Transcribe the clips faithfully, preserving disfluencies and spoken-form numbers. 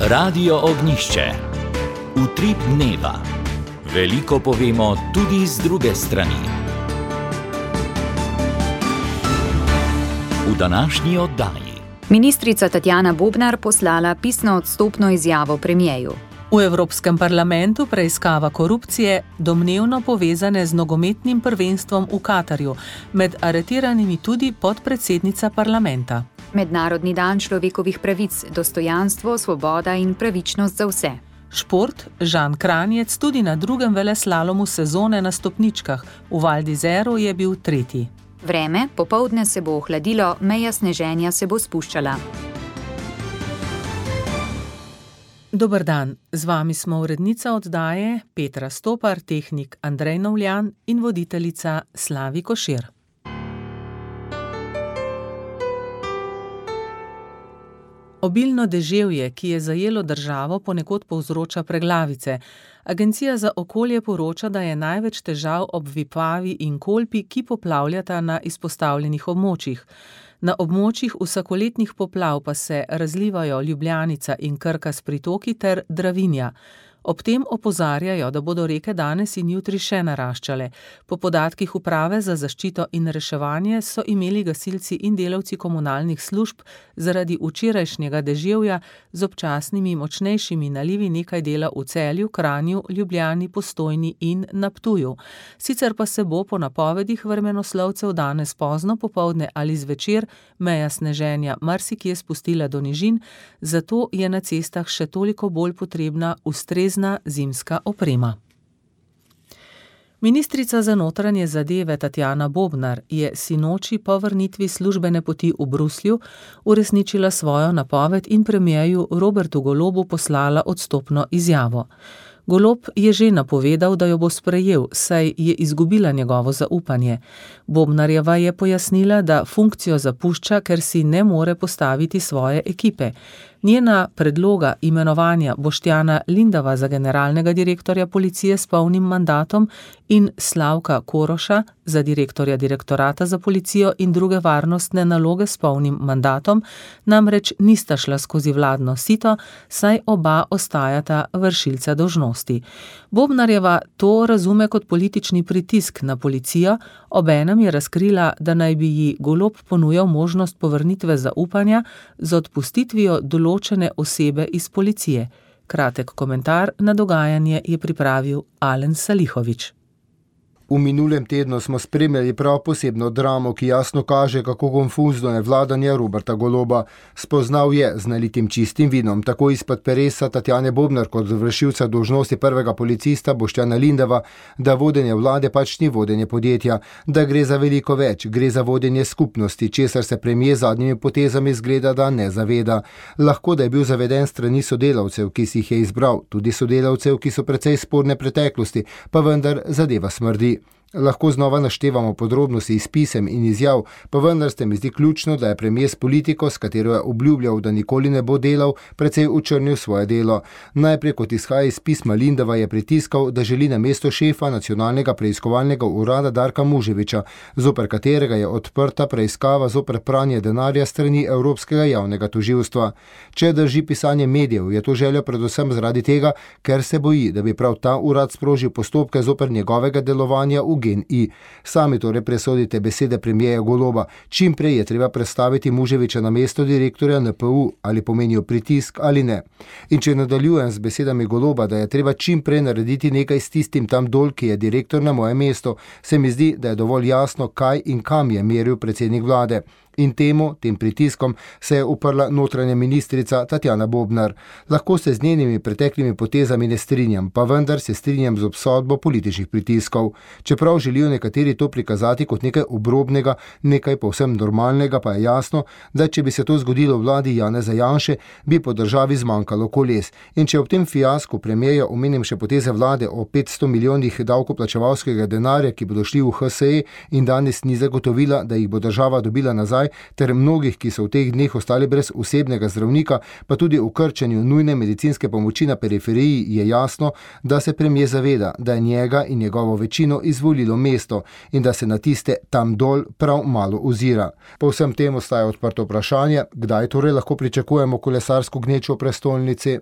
Radio Ognjišče. Utrip dneva. Veliko povemo tudi z druge strani. V današnji oddaji. Ministrica Tatjana Bobnar poslala pisno odstopno izjavo premierju. V Evropskem parlamentu preiskava korupcije, domnevno povezane z nogometnim prvenstvom v Katarju, med aretiranimi tudi podpredsednica parlamenta. Mednarodni dan človekovih pravic, dostojanstvo, svoboda in pravičnost za vse. Šport, Žan Kranjec tudi na drugem veleslalomu sezone na stopničkah, v Val d'Isèru je bil tretji. Vreme, popoldne se bo ohladilo, meja sneženja se bo spuščala. Dober dan, z vami smo urednica oddaje Petra Stopar, tehnik Andrej Novljan in voditeljica Slavi Košir. Obilno deževje, ki je zajelo državo, ponekod povzroča preglavice. Agencija za okolje poroča, da je največ težav ob Vipavi in Kolpi, ki poplavljata na izpostavljenih območjih. Na območjih vsakoletnih poplav pa se razlivajo Ljubljanica in Krka s pritoki ter Dravinja. Ob tem opozarjajo, da bodo reke danes in jutri še naraščale. Po podatkih Uprave za zaščito in reševanje so imeli gasilci in delavci komunalnih služb zaradi včerajšnjega deževja z občasnimi močnejšimi nalivi nekaj dela v Celju, Kranju, Ljubljani, Postojni in na Ptuju. Sicer pa se bo po napovedih vremenoslovcev danes pozno popoldne ali zvečer meja sneženja marsikje spustila do nižin, zato je na cestah še toliko bolj potrebna ustrezna zimska oprema. Ministrica za notranje zadeve Tatjana Bobnar je sinoči po vrnitvi službene poti v Bruslju uresničila svojo napoved in premierju Robertu Golobu poslala odstopno izjavo. Golob je že napovedal, da jo bo sprejel, saj je izgubila njegovo zaupanje. Bobnarjeva je pojasnila, da funkcijo zapušča, ker si ne more postaviti svoje ekipe. Njena predloga imenovanja Boštjana Lindava za generalnega direktorja policije s polnim mandatom in Slavka Koroša za direktorja direktorata za policijo in druge varnostne naloge s polnim mandatom namreč nista šla skozi vladno sito, saj oba ostajata vršilca dolžnosti. Bobnarjeva to razume kot politični pritisk na policijo, obenem je razkrila, da naj bi ji Golob ponujal možnost povrnitve zaupanja z odpustitvijo določene osebe iz policije. Kratek komentar na dogajanje je pripravil Alen Salihovič. V minulem tednu smo spremljali prav posebno dramo, ki jasno kaže, kako konfuzno je vladanje Roberta Goloba. Spoznal je z nalitim čistim vinom, tako izpod peresa Tatjane Bobnar kot vršilca dolžnosti prvega policista Boštjana Lindava, da vodenje vlade pač ni vodenje podjetja, da gre za veliko več, gre za vodenje skupnosti, česar se premier zadnjimi potezami zgleda, da ne zaveda. Lahko da je bil zaveden strani sodelavcev, ki si jih je izbral, tudi sodelavcev, ki so precej sporne preteklosti, pa vendar zadeva smrdi. Lahko znova naštevamo podrobnosti iz pisem in izjav, pa vendar se mi zdi ključno, da je premier s politiko, s katero je obljubljal, da nikoli ne bo delal, precej učrnil svoje delo. Najprej, kot izhaja iz pisma Lindava, je pritiskal, da želi na mesto šefa nacionalnega preiskovalnega urada Darka Muževiča, zoper katerega je odprta preiskava zoper pranje denarja strani Evropskega javnega tožilstva. Če drži pisanje medijev, je to željo predvsem zaradi tega, ker se boji, da bi prav ta urad sprožil postopke zoper njegovega delovanja v G N I. Sami torej presodite besede premierja Goloba. Čim prej je treba predstaviti Muževiča na mesto direktorja N P U, ali pomenijo pritisk ali ne. In če nadaljujem z besedami Goloba, da je treba čim prej narediti nekaj s tistim tam dol, ki je direktor na moje mesto, se mi zdi, da je dovolj jasno, kaj in kam je meril predsednik vlade. In temu, tem pritiskom, se je uprla notranja ministrica Tatjana Bobnar. Lahko se z njenimi preteklimi potezami ne strinjam, pa vendar se strinjam z obsodbo političnih pritiskov. Čeprav želijo nekateri to prikazati kot nekaj obrobnega, nekaj povsem normalnega, pa je jasno, da če bi se to zgodilo v vladi Janeza Janše, bi po državi zmanjkalo koles. In če ob tem fiasku premierja omenim še poteze vlade o petsto milijonih davkoplačevalskega denarja, ki bodo šli v H S E in danes ni zagotovila, da jih bo država dobila nazaj, ter mnogih, ki so v teh dneh ostali brez osebnega zdravnika, pa tudi v krčenju nujne medicinske pomoči na periferiji, je jasno, da se premier zaveda, da je njega in njegovo večino izvolilo mesto in da se na tiste tam dol prav malo ozira. Po vsem tem ostaja odprto vprašanje, kdaj torej lahko pričakujemo kolesarsko gnečo v prestolnici.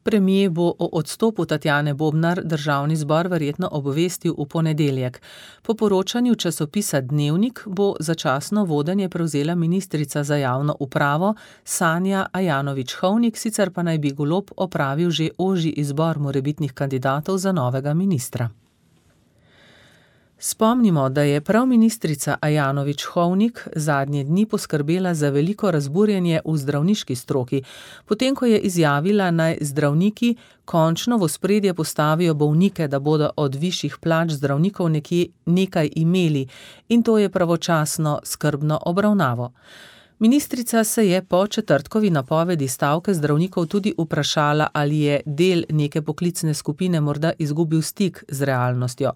Premier bo o odstopu Tatjane Bobnar državni zbor verjetno obvestil v ponedeljek. Po poročanju časopisa Dnevnik bo začasno vodenje prevzela ministrica za javno upravo Sanja Ajanović-Hovnik, sicer pa naj bi Golob opravil že ožji izbor morebitnih kandidatov za novega ministra. Spomnimo, da je prav ministrica Ajanović-Hovnik zadnje dni poskrbela za veliko razburjenje v zdravniški stroki, potem ko je izjavila, naj zdravniki končno v ospredje postavijo bolnike, da bodo od višjih plač zdravnikov nekje nekaj imeli, in to je pravočasno skrbno obravnavo. Ministrica se je po četrtkovi napovedi stavke zdravnikov tudi vprašala, ali je del neke poklicne skupine morda izgubil stik z realnostjo.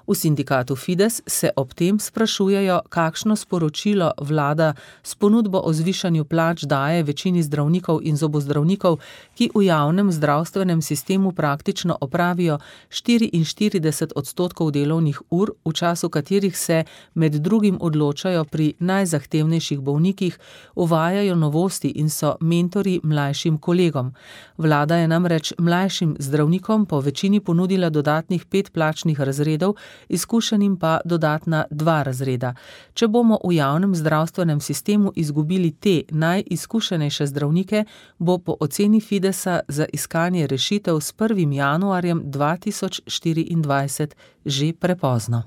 V sindikatu Fides se ob tem sprašujejo, kakšno sporočilo vlada s ponudbo o zvišanju plač daje večini zdravnikov in zobozdravnikov, ki v javnem zdravstvenem sistemu praktično opravijo štiriinštirideset odstotkov delovnih ur, v času katerih se med drugim odločajo pri najzahtevnejših bolnikih, uvajajo novosti in so mentori mlajšim kolegom. Vlada je namreč mlajšim zdravnikom po večini ponudila dodatnih pet plačnih razredov, izkušenim pa dodatna dva razreda. Če bomo v javnem zdravstvenem sistemu izgubili te najizkušenejše zdravnike, bo po oceni Fidesa za iskanje rešitev s prvim januarjem dva tisoč štiriindvajset že prepozno.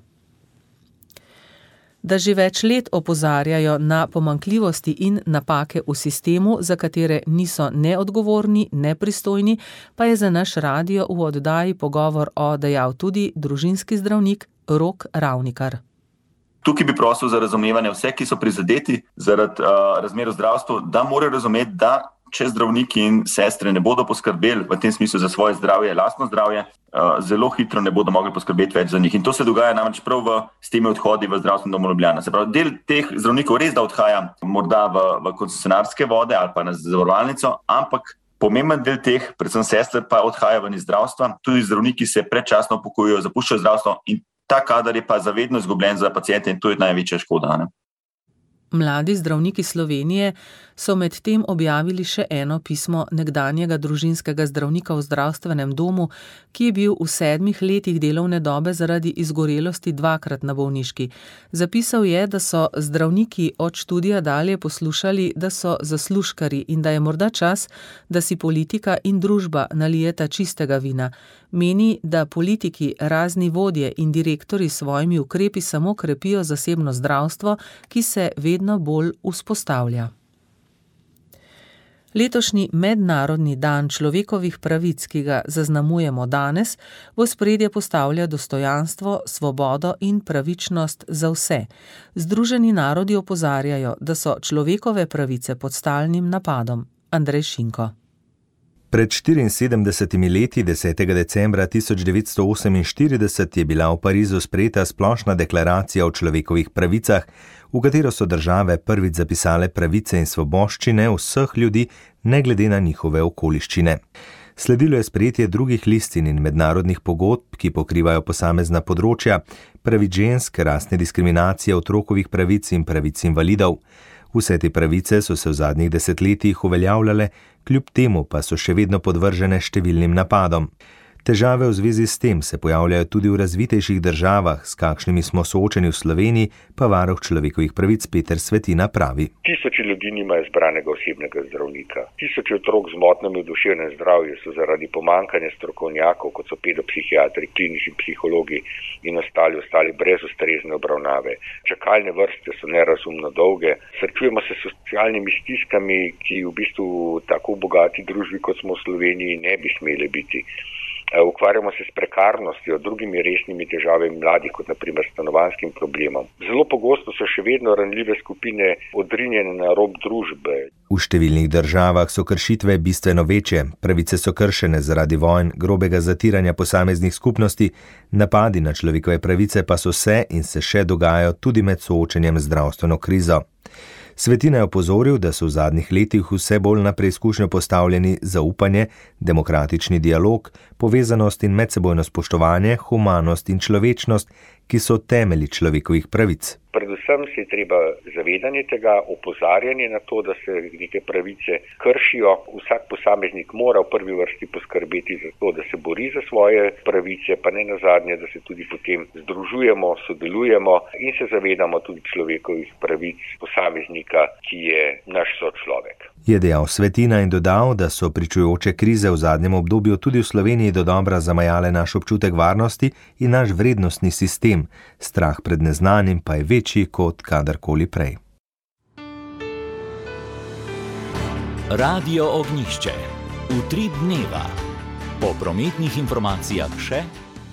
Da že več let opozarjajo na pomanjkljivosti in napake v sistemu, za katere niso neodgovorni, nepristojni, pa je za naš radio v oddaji Pogovor o dejal tudi družinski zdravnik Rok Ravnikar. Tukaj bi prosil za razumevanje vse, ki so prizadeti zaradi uh, razmer v zdravstvu, da morajo razumeti, da če zdravniki in sestre ne bodo poskrbeli v tem smislu za svoje zdravje, lastno zdravje, uh, zelo hitro ne bodo mogli poskrbeti več za njih. In to se dogaja namreč prav v, s temi odhodi v zdravstveni dom Ljubljana. Se pravi, del teh zdravnikov res da odhaja morda v, v koncesionarske vode ali pa na zavarovalnico, ampak pomemben del teh, predvsem sestre, pa odhaja ven iz zdravstva. Tudi zdravniki se predčasno upokojujejo, zapuščajo zdravstvo in ta kadar je pa zavedno izgubljen za paciente in to je največja škoda, ne? Mladi zdravniki Slovenije so med tem objavili še eno pismo nekdanjega družinskega zdravnika v zdravstvenem domu, ki je bil v sedmih letih delovne dobe zaradi izgorelosti dvakrat na bolniški. Zapisal je, da so zdravniki od študija dalje poslušali, da so zaslužkari in da je morda čas, da si politika in družba nalijeta čistega vina. Meni, da politiki, razni vodje in direktori s svojimi ukrepi samo krepijo zasebno zdravstvo, ki se vedno bolj vzpostavlja. Letošnji mednarodni dan človekovih pravic, ki ga zaznamujemo danes, v ospredje postavlja dostojanstvo, svobodo in pravičnost za vse. Združeni narodi opozarjajo, da so človekove pravice pod stalnim napadom. Andrej Šinko. Pred štiriinsedemdesetimi leti, desetega decembra tisoč devetsto oseminštirideset, je bila v Parizu sprejeta splošna deklaracija o človekovih pravicah, v katero so države prvič zapisale pravice in svoboščine vseh ljudi, ne glede na njihove okoliščine. Sledilo je sprejetje drugih listin in mednarodnih pogodb, ki pokrivajo posamezna področja, pravic žensk, rasne diskriminacije, otrokovih pravic in pravic invalidov. Vse te pravice so se v zadnjih desetletjih uveljavljale, kljub temu pa so še vedno podvržene številnim napadom. Težave v zvezi s tem se pojavljajo tudi v razvitejših državah, s kakšnimi smo soočeni v Sloveniji, pa varuh človekovih pravic Peter Svetina pravi. Tisoči ljudi nimajo izbranega osebnega zdravnika. Tisoči otrok z motnjami v duševnem zdravju so zaradi pomanjkanja strokovnjakov, kot so pedopsihiatri, klinični psihologi in ostali, ostali brez ustrezne obravnave. Čakalne vrste so nerazumno dolge. Srečujemo se s socialnimi stiskami, ki v bistvu tako bogati družbi, kot smo v Sloveniji, ne bi smeli biti. Ukvarjamo se s prekarnostjo, drugimi resnimi težavami mladih, kot na primer stanovanjskim problemom. Zelo pogosto so še vedno ranljive skupine odrinjene na rob družbe. V številnih državah so kršitve bistveno večje, pravice so kršene zaradi vojn, grobega zatiranja posameznih skupnosti, napadi na človekove pravice pa so se in se še dogajajo tudi med soočenjem z zdravstveno krizo. Svetina je opozoril, da so v zadnjih letih vse bolj na preizkušnjo postavljeni zaupanje, demokratični dialog, povezanost in medsebojno spoštovanje, humanost in človečnost, ki so temelji človekovih pravic. predvsem se je treba zavedanje tega, opozarjanje na to, da se neke pravice kršijo. Vsak posameznik mora v prvi vrsti poskrbeti za to, da se bori za svoje pravice, pa ne nazadnje, da se tudi potem združujemo, sodelujemo in se zavedamo tudi človekovih pravic posameznika, ki je naš sočlovek. Je dejal Svetina in dodal, da so pričujoče krize v zadnjem obdobju tudi v Sloveniji dodobra zamajale naš občutek varnosti in naš vrednostni sistem. Strah pred neznanim pa je večji kot kadarkoli prej. Radio Ognjišče. Utrip dneva. Po prometnih informacijah še.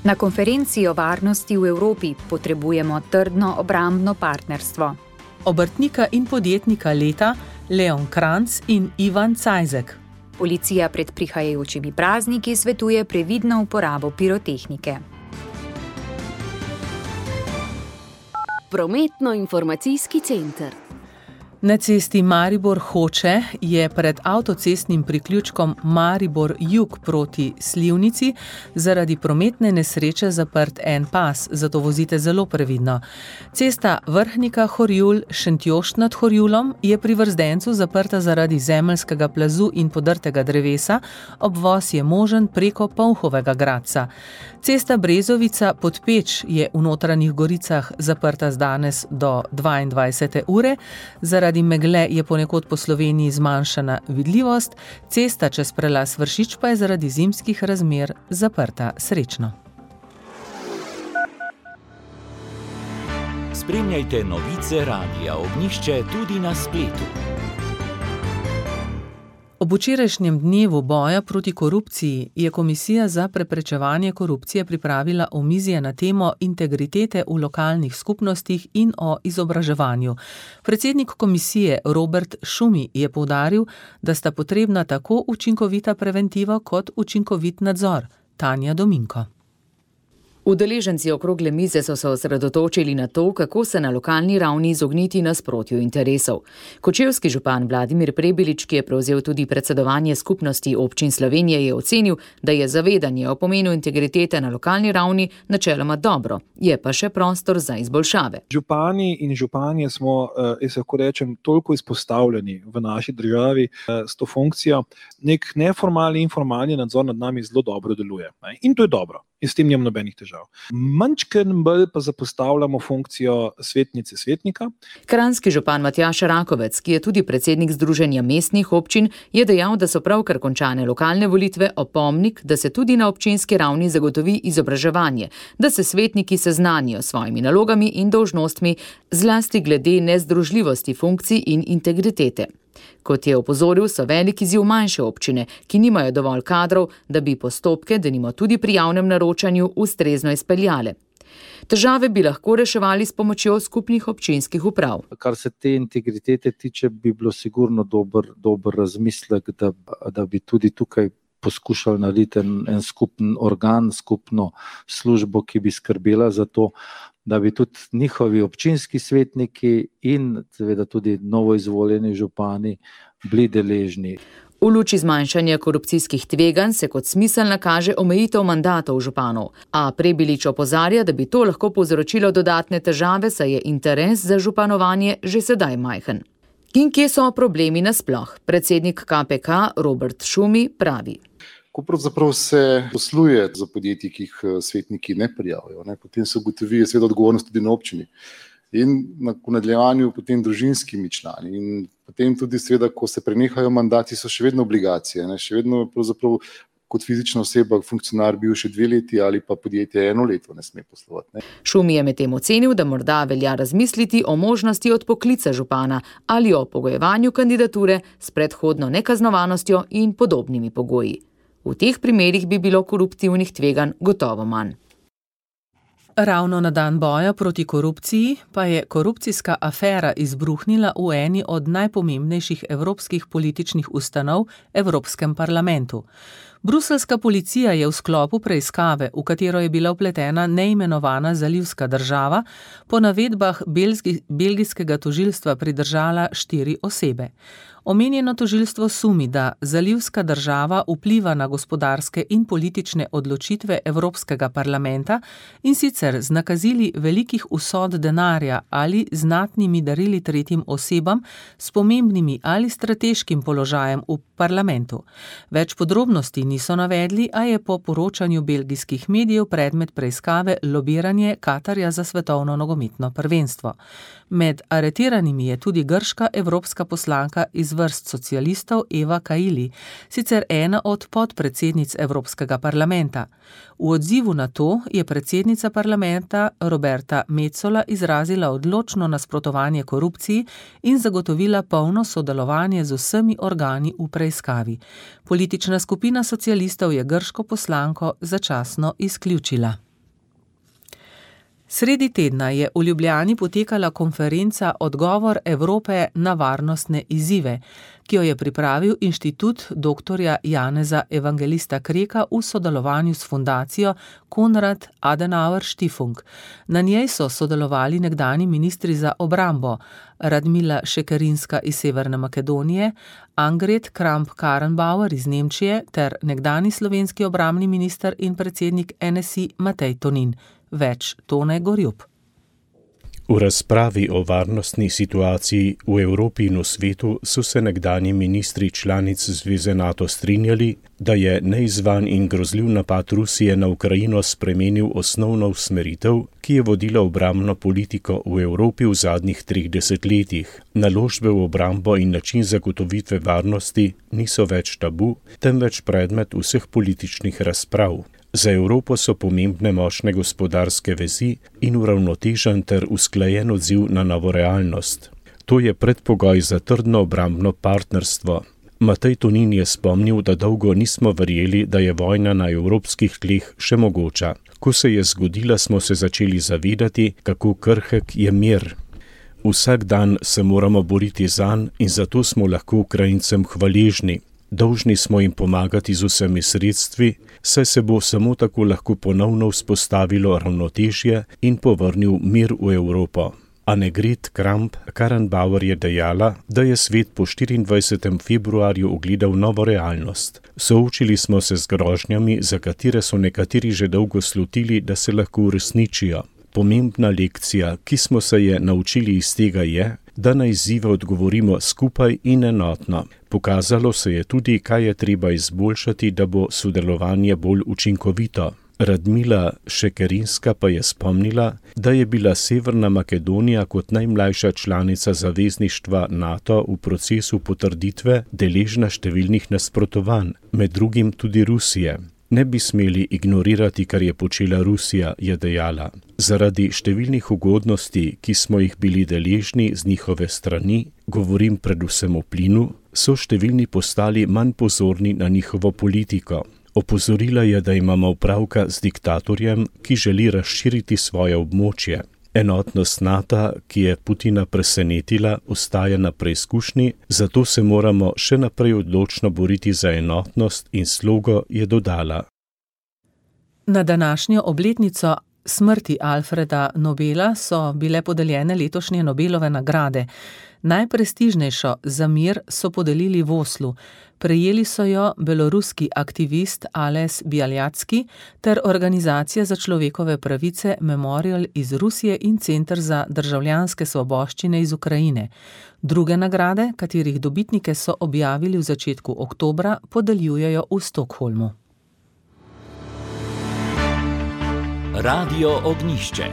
Na konferenci o varnosti v Evropi potrebujemo trdno obrambno partnerstvo. Obrtnika in podjetnika leta Leon Kranc in Ivan Cajzek. Policija pred prihajajočimi prazniki svetuje previdno uporabo pirotehnike. Prometno-informacijski center. Na cesti Maribor-Hoče je pred avtocestnim priključkom Maribor-Jug proti Slivnici zaradi prometne nesreče zaprt en pas, zato vozite zelo previdno. Cesta Vrhnika-Horjul-Šentjošt nad Horjulom je pri Vrzdencu zaprta zaradi zemeljskega plazu in podrtega drevesa, obvoz je možen preko Polhovega Gradca. Cesta Brezovica-Podpeč je v Notranjih Goricah zaprta z danes do dvaindvajsete ure, zaradi megle je ponekod po Sloveniji zmanjšana vidljivost, cesta čez prelaz Vršič pa je zaradi zimskih razmer zaprta srečno. Spremljajte novice Radia Ognjišče tudi na spletu. Ob včerajšnjem dnevu boja proti korupciji je Komisija za preprečevanje korupcije pripravila omizje na temo integritete v lokalnih skupnostih in o izobraževanju. Predsednik komisije Robert Šumi je poudaril, da sta potrebna tako učinkovita preventiva kot učinkovit nadzor. Tanja Dominko. Udeleženci okrogle mize so se osredotočili na to, kako se na lokalni ravni izogniti nasprotju interesov. Kočevski župan Vladimir Prebilič, ki je prevzel tudi predsedovanje skupnosti občin Slovenije, je ocenil, da je zavedanje o pomenu integritete na lokalni ravni načeloma dobro, je pa še prostor za izboljšave. Župani in županje smo, jaz lahko rečem, toliko izpostavljeni v naši državi s to funkcijo. Nek neformalni, informalni nadzor nad nami zelo dobro deluje. In to je dobro. In s tem nimam nobenih težav. Mančken bolj pa zapostavljamo funkcijo svetnice svetnika. Kranjski župan Matjaž Rakovec, ki je tudi predsednik Združenja mestnih občin, je dejal, da so pravkar končane lokalne volitve opomnik, da se tudi na občinski ravni zagotovi izobraževanje, da se svetniki seznanijo s svojimi nalogami in dolžnostmi, zlasti glede nezdružljivosti funkcij in integritete. Kot je opozoril, so velik izziv manjše občine, ki nimajo dovolj kadrov, da bi postopke, denimo tudi pri javnem naročanju, ustrezno izpeljale. Težave bi lahko reševali s pomočjo skupnih občinskih uprav. Kar se te integritete tiče, bi bilo sigurno dober, dober razmislek, da, da bi tudi tukaj poskušali narediti en, en skupen organ, skupno službo, ki bi skrbela za to, da bi tudi njihovi občinski svetniki in seveda tudi novoizvoljeni župani bili deležni. V luči zmanjšanja korupcijskih tveganj se kot smiselna kaže omejitev mandatov županov, a Prebilič opozarja, da bi to lahko povzročilo dodatne težave, saj je interes za županovanje že sedaj majhen. In kje so problemi nasploh? Predsednik K P K Robert Šumi pravi. Ko pravzaprav se posluje za podjetji, ki jih svetniki ne prijavijo, ne, potem se ugotovi seveda odgovornost tudi na občini in na nadaljevanju potem družinskimi člani in potem tudi seveda, ko se prenehajo mandati, so še vedno obligacije, ne, še vedno pravzaprav kot fizična oseba, funkcionar bil še dve leti ali pa podjetje eno leto ne sme poslovati. Ne. Šumi je medtem ocenil, da morda velja razmisliti o možnosti odpoklica župana ali o pogojevanju kandidature s predhodno nekaznovanostjo in podobnimi pogoji. V teh primerih bi bilo koruptivnih tveganj gotovo manj. Ravno na dan boja proti korupciji pa je korupcijska afera izbruhnila v eni od najpomembnejših evropskih političnih ustanov, Evropskem parlamentu. Bruseljska policija je v sklopu preiskave, v katero je bila vpletena neimenovana zalivska država, po navedbah belgi, belgijskega tožilstva pridržala štiri osebe. Omenjeno tožilstvo sumi, da zalivska država vpliva na gospodarske in politične odločitve Evropskega parlamenta in sicer z nakazili velikih vsot denarja ali znatnimi darili tretjim osebam s pomembnimi ali strateškim položajem v parlamentu. Več podrobnosti niso navedli, a je po poročanju belgijskih medijev predmet preiskave lobiranje Katarja za svetovno nogometno prvenstvo. Med aretiranimi je tudi grška evropska poslanka iz vrst socialistov Eva Kaili, sicer ena od podpredsednic Evropskega parlamenta. V odzivu na to je predsednica parlamenta Roberta Metsola izrazila odločno nasprotovanje korupciji in zagotovila polno sodelovanje z vsemi organi v preiskavi. Politična skupina socialistov je grško poslanko začasno izključila. Sredi tedna je v Ljubljani potekala konferenca Odgovor Evrope na varnostne izzive, ki jo je pripravil inštitut doktorja Janeza Evangelista Kreka v sodelovanju s fundacijo Konrad Adenauer Stiftung. Na njej so sodelovali nekdani ministri za obrambo Radmila Šekerinska iz Severne Makedonije, Angrid Kramp-Karrenbauer iz Nemčije ter nekdani slovenski obrambni minister in predsednik N S I Matej Tonin. Več Tone Gorjup. V razpravi o varnostni situaciji v Evropi in v svetu so se nekdanji ministri članic Zveze NATO strinjali, da je neizvan in grozljiv napad Rusije na Ukrajino spremenil osnovno usmeritev, ki je vodila obrambno politiko v Evropi v zadnjih treh desetletjih. Naložbe v obrambo in način zagotovitve varnosti niso več tabu, temveč predmet vseh političnih razprav. Za Evropo so pomembne močne gospodarske vezi in uravnotežen ter usklajen odziv na novo realnost. To je predpogoj za trdno obrambno partnerstvo. Matej Tonin je spomnil, da dolgo nismo verjeli, da je vojna na evropskih tleh še mogoča. Ko se je zgodila, smo se začeli zavedati, kako krhek je mir. Vsak dan se moramo boriti zanj in zato smo lahko Ukrajincem hvaležni. Dolžni smo jim pomagati z vsemi sredstvi, saj se bo samo tako lahko ponovno vzpostavilo ravnotežje in povrnil mir v Evropo. Annegret Kramp-Karrenbauer je dejala, da je svet po štiriindvajsetega februarja ugledal novo realnost. Soočili smo se z grožnjami, za katere so nekateri že dolgo slutili, da se lahko uresničijo. Pomembna lekcija, ki smo se je naučili iz tega je, da na izzive odgovorimo skupaj in enotno. Pokazalo se je tudi, kaj je treba izboljšati, da bo sodelovanje bolj učinkovito. Radmila Šekerinska pa je spomnila, da je bila Severna Makedonija kot najmlajša članica zavezništva NATO v procesu potrditve deležna številnih nasprotovanj, med drugim tudi Rusije. Ne bi smeli ignorirati, kar je počela Rusija, je dejala. Zaradi številnih ugodnosti, ki smo jih bili deležni z njihove strani, govorim predvsem o plinu, so številni postali manj pozorni na njihovo politiko. Opozorila je, da imamo opravka z diktatorjem, ki želi razširiti svoje območje. Enotnost NATO, ki je Putina presenetila, ostaja na preizkušnji, zato se moramo še naprej odločno boriti za enotnost in slogo, je dodala. Na današnjo obletnico smrti Alfreda Nobela so bile podeljene letošnje Nobelove nagrade. Najprestižnejšo za mir so podelili v Oslu. Prejeli so jo beloruski aktivist Ales Bialjacki ter Organizacija za človekove pravice Memorial iz Rusije in Center za državljanske svoboščine iz Ukrajine. Druge nagrade, katerih dobitnike so objavili v začetku oktobra, podeljujejo v Stockholmu. Radio Ognjišče.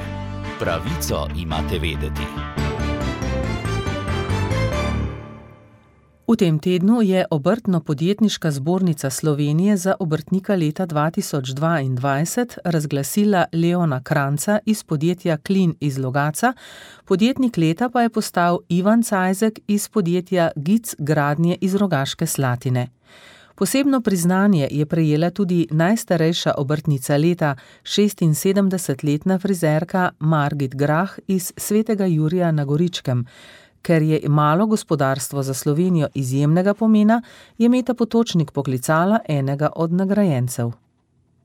Pravico imate vedeti. V tem tednu je Obrtno-podjetniška zbornica Slovenije za obrtnika leta dva tisoč dvaindvajset razglasila Leona Kranca iz podjetja Klin iz Logatca, podjetnik leta pa je postal Ivan Cajzek iz podjetja Gic Gradnje iz Rogaške Slatine. Posebno priznanje je prejela tudi najstarejša obrtnica leta, šestinsedemdesetletna frizerka Margit Grah iz Svetega Jurija na Goričkem. Ker je malo gospodarstvo za Slovenijo izjemnega pomena, je Meta Potočnik poklicala enega od nagrajencev.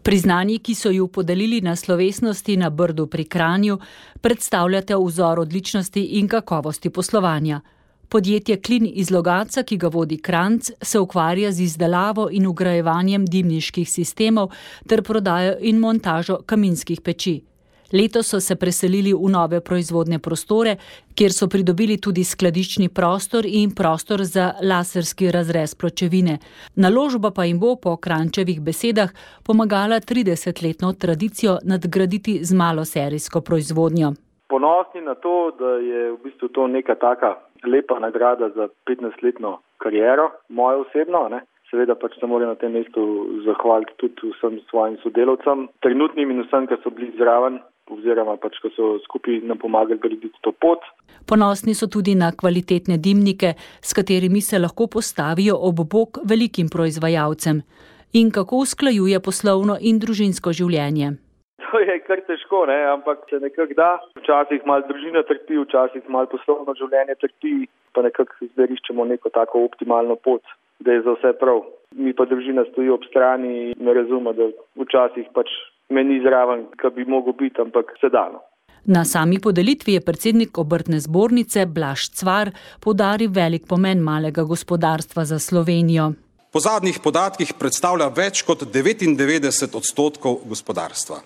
Priznanji, ki so ju podelili na slovesnosti na Brdu pri Kranju, predstavljate vzor odličnosti in kakovosti poslovanja. Podjetje Klin iz Logatca, ki ga vodi Kranjc, se ukvarja z izdelavo in vgrajevanjem dimniških sistemov ter prodajo in montažo kaminskih peči. Letos so se preselili v nove proizvodne prostore, kjer so pridobili tudi skladiščni prostor in prostor za laserski razrez pločevine. Naložba pa jim bo po Kranjčevih besedah pomagala tridesetletno tradicijo nadgraditi z maloserijsko proizvodnjo. Ponosni na to, da je v bistvu to neka taka lepa nagrada za petnajstletno kariero, mojo osebno, ne. Seveda pač se moram na tem mestu zahvaliti tudi vsem svojim sodelavcem, trenutnim in vsem, ki so bili zraven, oziroma pač, ki so skupaj nam pomagali graditi to pot. Ponosni so tudi na kvalitetne dimnike, s katerimi se lahko postavijo ob bok velikim proizvajalcem. In kako usklajuje poslovno in družinsko življenje. To je kar težko, ne? Ampak se nekako da. Včasih malo družina trpi, včasih malo poslovno življenje trpi, pa nekako zdaj iščemo neko tako optimalno pot, da je za vse prav. Mi pa družina stoji ob strani in ne razume, da včasih pač me ni zraven, kar bi mogel biti, ampak se dano. Na sami podelitvi je predsednik obrtne zbornice Blaž Cvar poudaril velik pomen malega gospodarstva za Slovenijo. Po zadnjih podatkih predstavlja več kot devetindevetdeset odstotkov gospodarstva.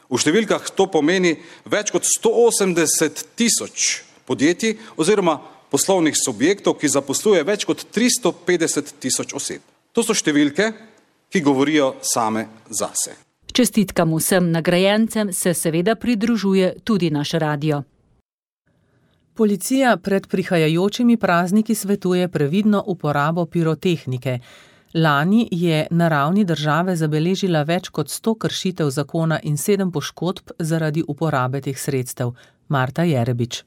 V številkah to pomeni več kot sto osemdeset tisoč podjetij oziroma poslovnih subjektov, ki zaposluje več kot tristo petdeset tisoč oseb. To so številke, ki govorijo same zase. Čestitkam vsem nagrajencem se seveda pridružuje tudi naš radio. Policija pred prihajajočimi prazniki svetuje previdno uporabo pirotehnike. Lani je na ravni države zabeležila več kot sto kršitev zakona in sedem poškodb zaradi uporabe teh sredstev. Marta Jerebič.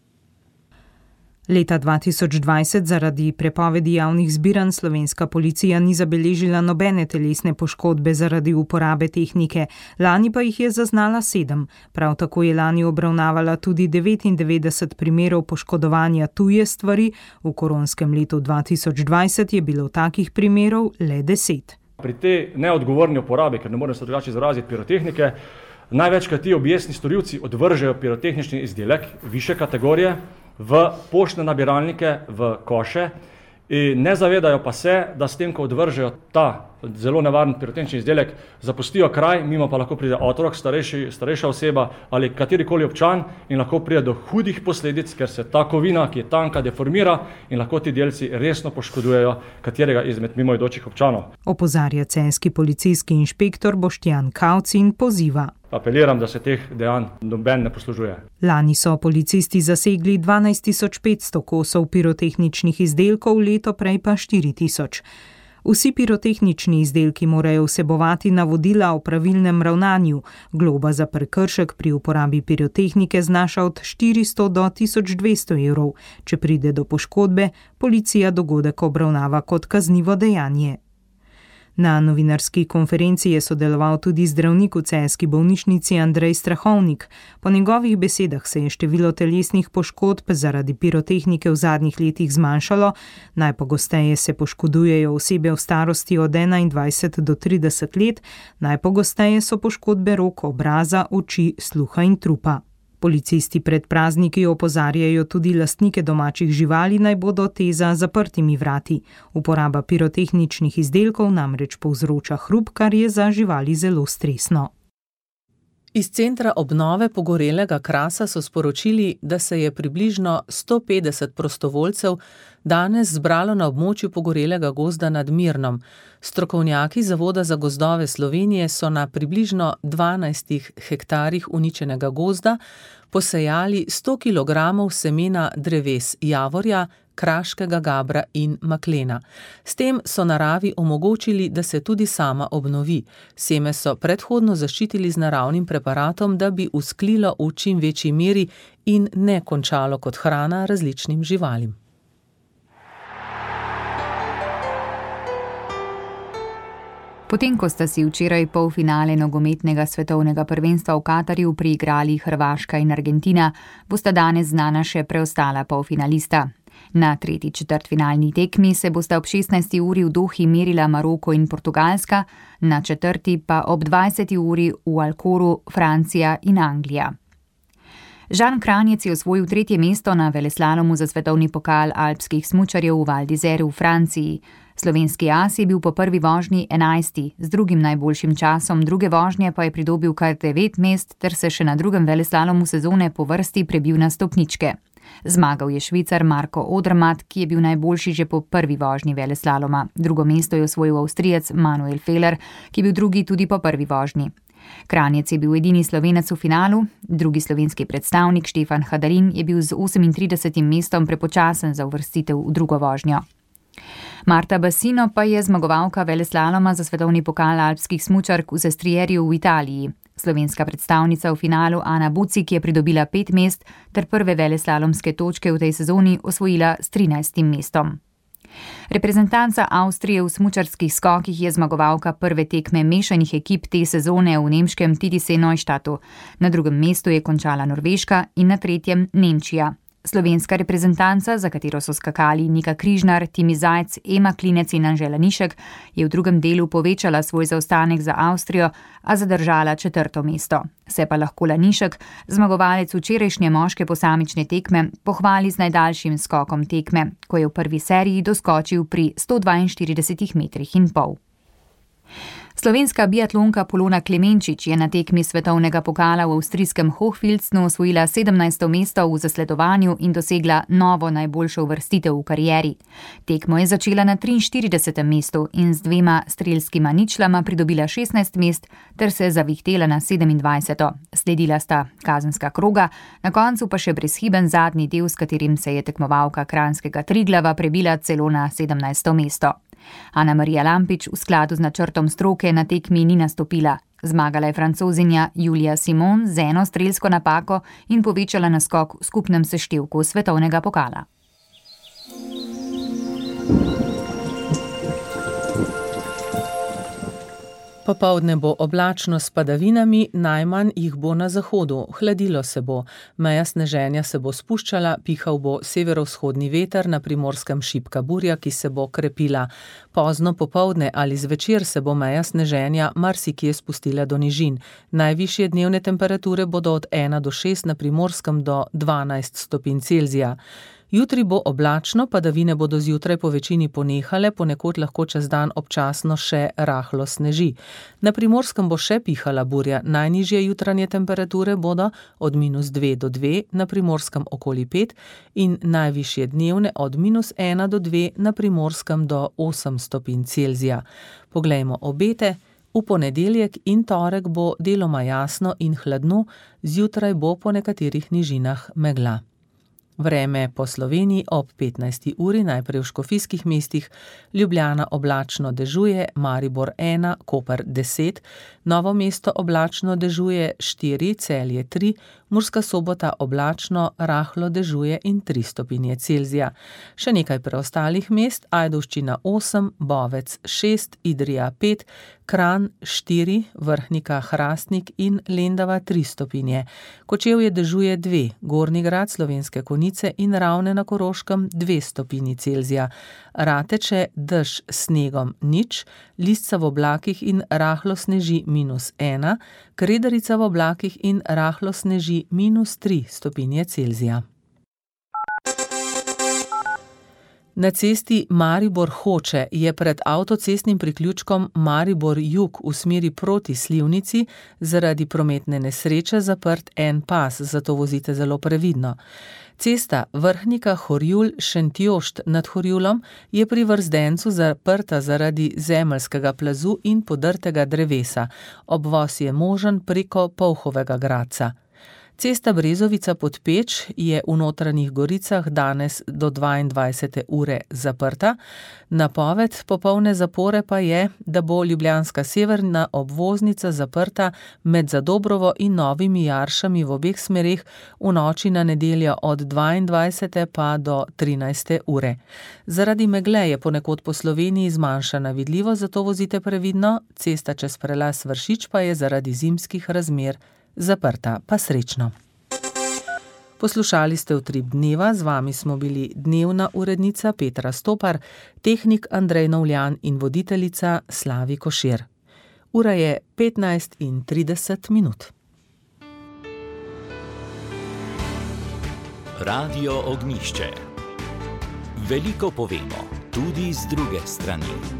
Leta dva tisoč dvajset zaradi prepovedi javnih zbiranj slovenska policija ni zabeležila nobene telesne poškodbe zaradi uporabe tehnike, lani pa jih je zaznala sedem. Prav tako je lani obravnavala tudi devetindevetdeset primerov poškodovanja tuje stvari, v koronskem letu dva tisoč dvajset je bilo takih primerov le deset. Pri tej neodgovorni uporabi, ker ne morem se drugače izraziti, pirotehnike, največkrat ti objestni storilci odvržejo pirotehnični izdelek više kategorije v poštne nabiralnike, v koše in ne zavedajo pa se, da s tem, ko odvržejo ta zelo nevaren pirotehnični izdelek, zapustijo kraj, mimo pa lahko pride otrok, starejši, starejša oseba ali katerikoli občan in lahko pride do hudih posledic, ker se ta kovina, ki je tanka, deformira in lahko ti delci resno poškodujejo katerega izmed mimoidočih občanov. Opozarja celjski policijski inšpektor Boštjan Kavc in poziva. Apeliram, da se teh dejanj noben ne poslužuje. Lani so policisti zasegli dvanajst tisoč petsto kosov pirotehničnih izdelkov, leto prej pa štiri tisoč. Vsi pirotehnični izdelki morajo vsebovati navodila o pravilnem ravnanju. Globa za prekršek pri uporabi pirotehnike znaša od štiristo do tisoč dvesto evrov. Če pride do poškodbe, policija dogodek obravnava kot kaznivo dejanje. Na novinarski konferenci je sodeloval tudi zdravnik v celjski bolnišnici Andrej Strahovnik. Po njegovih besedah se je število telesnih poškodb zaradi pirotehnike v zadnjih letih zmanjšalo. Najpogosteje se poškodujejo osebe v starosti od enaindvajset do trideset let, najpogosteje so poškodbe rok, obraza, oči, sluha in trupa. Policisti pred prazniki opozarjajo tudi lastnike domačih živali, naj bodo te za zaprtimi vrati. Uporaba pirotehničnih izdelkov namreč povzroča hrup, kar je za živali zelo stresno. Iz centra obnove pogorelega Krasa so sporočili, da se je približno sto petdeset prostovoljcev danes zbralo na območju pogorelega gozda nad Mirnom. Strokovnjaki Zavoda za gozdove Slovenije so na približno dvanajstih hektarjih uničenega gozda posejali sto kilogramov semena dreves javorja, kraškega gabra in maklena. S tem so naravi omogočili, da se tudi sama obnovi. Seme so predhodno zaščitili z naravnim preparatom, da bi usklilo v čim večji meri in ne končalo kot hrana različnim živalim. Potem, ko sta si včeraj polfinale nogometnega svetovnega prvenstva v Katarju priigrali Hrvaška in Argentina, bosta danes znana še preostala polfinalista. Na tretji četrtfinalni tekmi se bosta ob šestnajsti uri v Dohi merila Maroko in Portugalska, na četrti pa ob dvajseti uri v Alcoru Francija in Anglija. Žan Kranjec je osvojil tretje mesto na veleslalomu za svetovni pokal alpskih smučarjev v Val d'Isère v Franciji. Slovenski as je bil po prvi vožnji enajsti, z drugim najboljšim časom druge vožnje pa je pridobil kar devet mest ter se še na drugem veleslalomu sezone po vrsti prebil na stopničke. Zmagal je Švicar Marko Odermatt, ki je bil najboljši že po prvi vožnji veleslaloma. Drugo mesto je osvojil Avstrijec Manuel Feller, ki je bil drugi tudi po prvi vožnji. Kranjec je bil edini Slovenec v finalu, drugi slovenski predstavnik Štefan Hadalin je bil z osemintridesetim mestom prepočasen za uvrstitev v drugo vožnjo. Marta Bassino pa je zmagovalka veleslaloma za svetovni pokal alpskih smučark v Sestrierju v Italiji. Slovenska predstavnica v finalu Ana Bucik je pridobila pet mest ter prve veleslalomske točke v tej sezoni osvojila s trinajstim mestom. Reprezentanca Avstrije v smučarskih skokih je zmagovalka prve tekme mešanih ekip te sezone v nemškem T D C Neustadtu. Na drugem mestu je končala Norveška in na tretjem Nemčija. Slovenska reprezentanca, za katero so skakali Nika Križnar, Timi Zajc, Ema Klinec in Anžela Nišek, je v drugem delu povečala svoj zaostanek za Avstrijo, a zadržala četrto mesto. Se pa lahko Lanišek, zmagovalec včerajšnje moške posamične tekme, pohvali z najdaljšim skokom tekme, ko je v prvi seriji doskočil pri sto dvainštiridesetih metrih in pol. Slovenska biatlonka Polona Klemenčič je na tekmi svetovnega pokala v avstrijskem Hochfilzenu osvojila sedemnajsto mesto v zasledovanju in dosegla novo najboljšo uvrstitev v karieri. Tekmo je začela na triinštiridesetem mestu in z dvema strelskima ničlama pridobila šestnajst mest ter se zavihtela na sedemindvajseto. Sledila sta kazenska kroga, na koncu pa še brezhiben zadnji del, s katerim se je tekmovalka kranjskega Triglava prebila celo na sedemnajsto mesto. Ana Marija Lampič v skladu z načrtom stroke na tekmi ni nastopila. Zmagala je Francozinja Julia Simon z eno strelsko napako in povečala naskok v skupnem seštevku svetovnega pokala. Popoldne bo oblačno s padavinami, najmanj jih bo na zahodu, hladilo se bo, meja sneženja se bo spuščala, pihal bo severovzhodni veter, na Primorskem šibka burja, ki se bo krepila. Pozno popoldne ali zvečer se bo meja sneženja marsikje spustila do nižin. Najvišje dnevne temperature bodo od ena do šest, na Primorskem do dvanajst stopinj Celzija. Jutri bo oblačno, padavine bodo zjutraj po večini ponehale, ponekod lahko čez dan občasno še rahlo sneži. Na Primorskem bo še pihala burja, najnižje jutranje temperature bodo od minus dve do dve, na Primorskem okoli pet in najvišje dnevne od minus ena do dve, na Primorskem do osem stopinj Celzija. Poglejmo obete. V ponedeljek in torek bo deloma jasno in hladno, zjutraj bo po nekaterih nižinah megla. Vreme po Sloveniji ob petnajsti uri, najprej v škofijskih mestih, Ljubljana oblačno dežuje, Maribor ena, Koper deset, Novo mesto oblačno dežuje, štiri, Celje tri, Murska Sobota oblačno, rahlo dežuje in tri stopinje Celzija. Še nekaj preostalih mest, Ajdovščina osem, Bovec šest, Idrija pet, Kranj štiri, Vrhnika, Hrastnik in Lendava tri stopinje. Kočevje dežuje dve, Gornji Grad, Slovenske Konjice in Ravne na Koroškem dve stopinji Celzija. Rateče dež s snegom nič, Lisca v oblakih in rahlo sneži minus ena, Kredarica v oblakih in rahlo sneži minus tri stopinje Celzija. Na cesti Maribor-Hoče je pred avtocestnim priključkom Maribor-Jug v smeri proti Slivnici zaradi prometne nesreče zaprt en pas, zato vozite zelo previdno. Cesta Vrhnika-Horjul-Šentjošt nad Horjulom je pri Vrzdencu zaprta zaradi zemeljskega plazu in podrtega drevesa. Obvoz je možen preko Polhovega Gradca. Cesta Brezovica pod Peč je v Notranjih Goricah danes do dvaindvajsete ure zaprta. Napoved popolne zapore pa je, da bo ljubljanska severna obvoznica zaprta med Zadobrovo in Novimi Jaršami v obeh smereh v noči na nedeljo od dvaindvajsete pa do trinajste ure. Zaradi megle je ponekod po Sloveniji zmanjšana vidljivost, zato vozite previdno, cesta čez prelaz Vršič pa je zaradi zimskih razmer zaprta, pa srečno. Poslušali ste Utrip dneva, z vami smo bili dnevna urednica Petra Stopar, tehnik Andrej Novljan in voditeljica Slavi Košir. Ura je petnajst in trideset minut. Radio Ognjišče. Veliko povemo, tudi z druge strani.